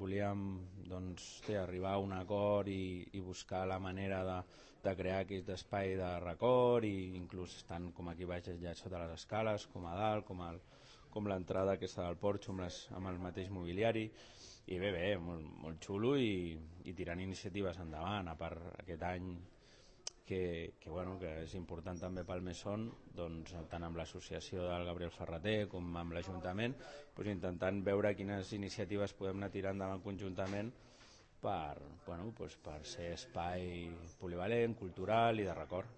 volíem doncs, arribar a un acord i buscar la manera de crear aquest espai de record, i inclús tant com aquí baix allà sota les escales, com a dalt, com l'entrada aquesta del porxo amb el mateix mobiliari. I bé, molt xulo, i tirant iniciatives endavant. A part aquest any que és important també pel Mesón, doncs, tant amb l'associació del Gabriel Ferrater com amb l'Ajuntament, doncs, intentant veure quines iniciatives podem anar tirant endavant conjuntament per ser espai polivalent, cultural i de record.